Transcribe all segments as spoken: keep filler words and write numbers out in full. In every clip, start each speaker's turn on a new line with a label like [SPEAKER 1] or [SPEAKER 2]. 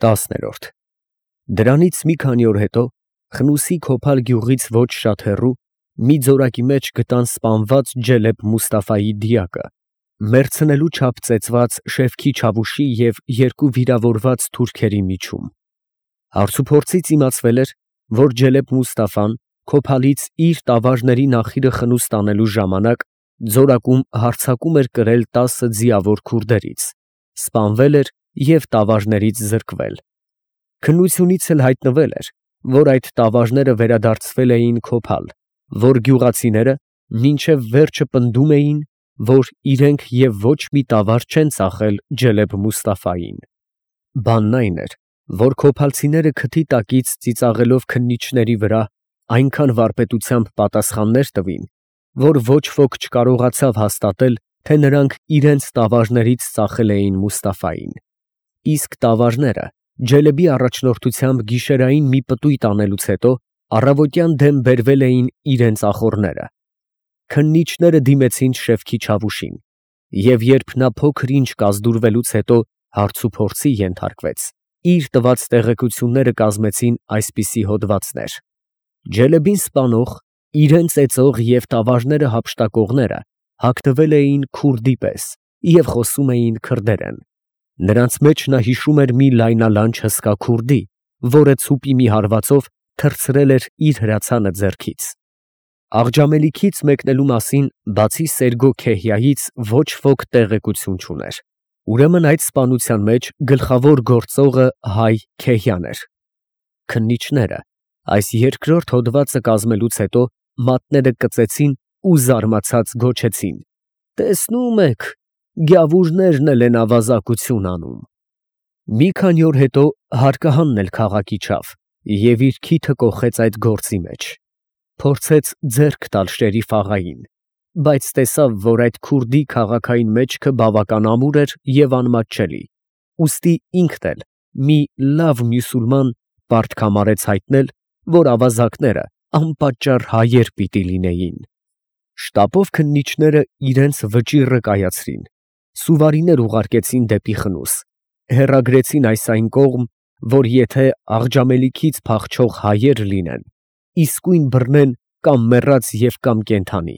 [SPEAKER 1] Տասներորդ Դրանից մի քանի օր հետո Խնուսի Քոփալ գյուղից ոչ շատ հեռու մի ձորակի մեջ գտան սպանված Ջելեբ Մուստաֆայի դիակը, մեռցնելու չափ ծեծված Շեվքի Չավուշի և երկու վիրավորված թուրքերի միջում։ Հարցուփորձից իմացվել էր, որ Ջելեբ Մուստաֆան Քոփալից իր տավարների նախիրը խնուստ անելու ժամանակ ձորակում հարձակում էր կրել տասը ձիավոր քուրդերից, սպանվել էր և տավարներից զրկվել։ Քննությունից էլ հայտնվել էր, որ այդ տավարները վերադարձվել էին Քոփալ, որ գյուղացիները մինչև վերջը պնդում էին, որ իրենք և ոչ մի տավար չեն ծախել Ջելեբ Մուստաֆային։ Բանն այն էր, որ քոփալցիները քթի տակից ծիծաղելով քննիչների վրա այնքան վարպետությամբ պատասխաններ տվին, որ ոչ ոք չկարողացավ հաստատել, թե նրանք իրենց տավարներից ծախել էին Մուստաֆային։ Իսկ տավարները Ջելեբի առաջնորդությամբ գիշերային մի պտույտ անելուց հետո առավոտյան դեմ բերվել էին իրենց ախոռները։ Քննիչները դիմեցին Շեվքի Չավուշին, և երբ նա փոքր ինչ կազդուրվելուց հետո հարցուփորձի ենթարկվեց, իր տված տեղեկությունները կազմեցին այսպիսի հոդվածներ. Ջելեբին սպանող, իրան ծեծող և տավարները հափշտակողները հագնվել էին քուրդի պես և խոսում էին քրդերեն։ Նրանց մեջ նա հիշում էր մի լայնալանջ հսկա քուրդի, որը ցուպի մի հարվածով թռցրել էր իր հրացանը ձեռքից։ Աղջամելիքից մեկնելու մասին բացի Սերգո Քեհիայից ոչ ոք տեղեկություն չուներ։ Ուրեմն այդ սպանության մեջ գլխավոր գործողը հայ Քեհյան էր։ Քննիչները այս երկրորդ հոդվածը կազմելուց հետո մատները կծեցին ու զարմացած գոչեցին. «Տեսնում եք, գյավուրներն էլ են ավազակություն անում»։ Մի քանի օր հետո հարկահանն էլ քաղաք իջավ և իր քիթը կոխեց այդ գործի մեջ։ Փորձեց ձեռք տալ Շերիֆ աղային, բայց տեսավ, որ այդ քուրդի քաղաքային մեջքը բավական ամուր էր և անմատչելի, ուստի ինքն էլ մի լավ մյուսուլման պարտք համարեց հայտնել, որ ավազակները անպատճառ հայեր պիտի լինեին։ Շտապով քննիչները իրենց վճիռը կայացրին, սուվարիներ ուղարկեցին դեպի Խնուս, հեռագրեցին այս այն կողմ, որ եթե աղջամելիքից փախչող հայեր լինեն, իսկույն բռնեն կամ մեռած և կամ կենդանի։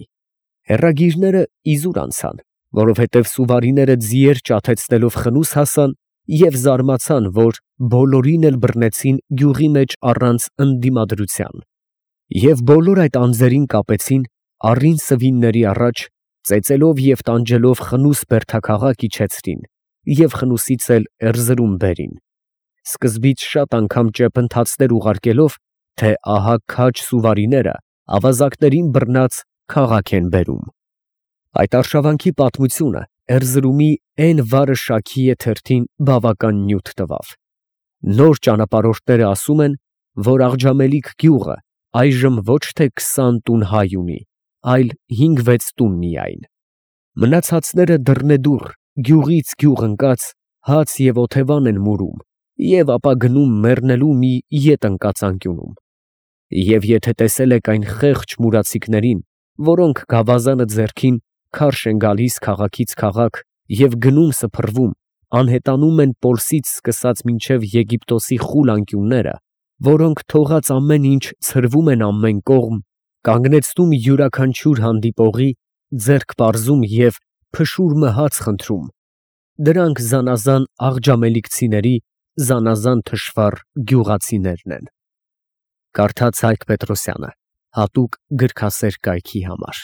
[SPEAKER 1] Հեռագիրները իզուր անցան, որովհետև սուվարիները ձիեր ճաթեցնելով Խնուս հասան և զարմացան, որ բոլորին էլ բռնեցին գյուղի մեջ առանց ընդդիմադրության։ Եվ բոլոր այդ անձերին կապեցին առին սվինների առաջ, ծեծելով և տանջելով Խնուս բերդաքաղաք իջեցրին և Խնուսից էլ Էրզրում բերին, սկզբից շատ անգամ ճեպընթացներ ուղարկելով, թե ահա քաջ սուվարիները ավազակներին բռնած քաղաք են բերում։ Այդ արշավանքի պատմությունը Էրզրումի Էն Վարը Շաքիյե թերթին բավական նյութ տվավ։ Նոր ճանապարհորդները ասում են, որ Աղջամելիք գյուղը այժմ ոչ թե քսան տուն հայ ունի, այլ հինգ֊վեց տուն միայն։ Մնացածները դռնեդուռ, գյուղից գյուղ ընկած, հաց և օթևան են մուրում և ապա գնում մեռնելու մի ետ ընկած անկյունում։ Եվ եթե տեսել եք այն խեղճ մուրացիկներին, որոնք գավազանը ձեռքին քարշ են գալիս քաղաքից քաղաք և գնում սփռվում, անհետանում են Պոլսից սկսած մինչև Եգիպտոսի խուլ անկյունները, որոնք թողած ամեն ինչ ցրվում են ամեն կողմ, կանգնեցնում յուրաքանչյուր հանդիպողի, ձեռք պարզում և փշուր մահաց խնդրում, դրանք զանազան աղջամելիքցիների զանազան թշվառ գյուղացիներն են։ Կարդաց Հայկ Պետրոսյանը, հատուկ գրքասեր կայքի համար։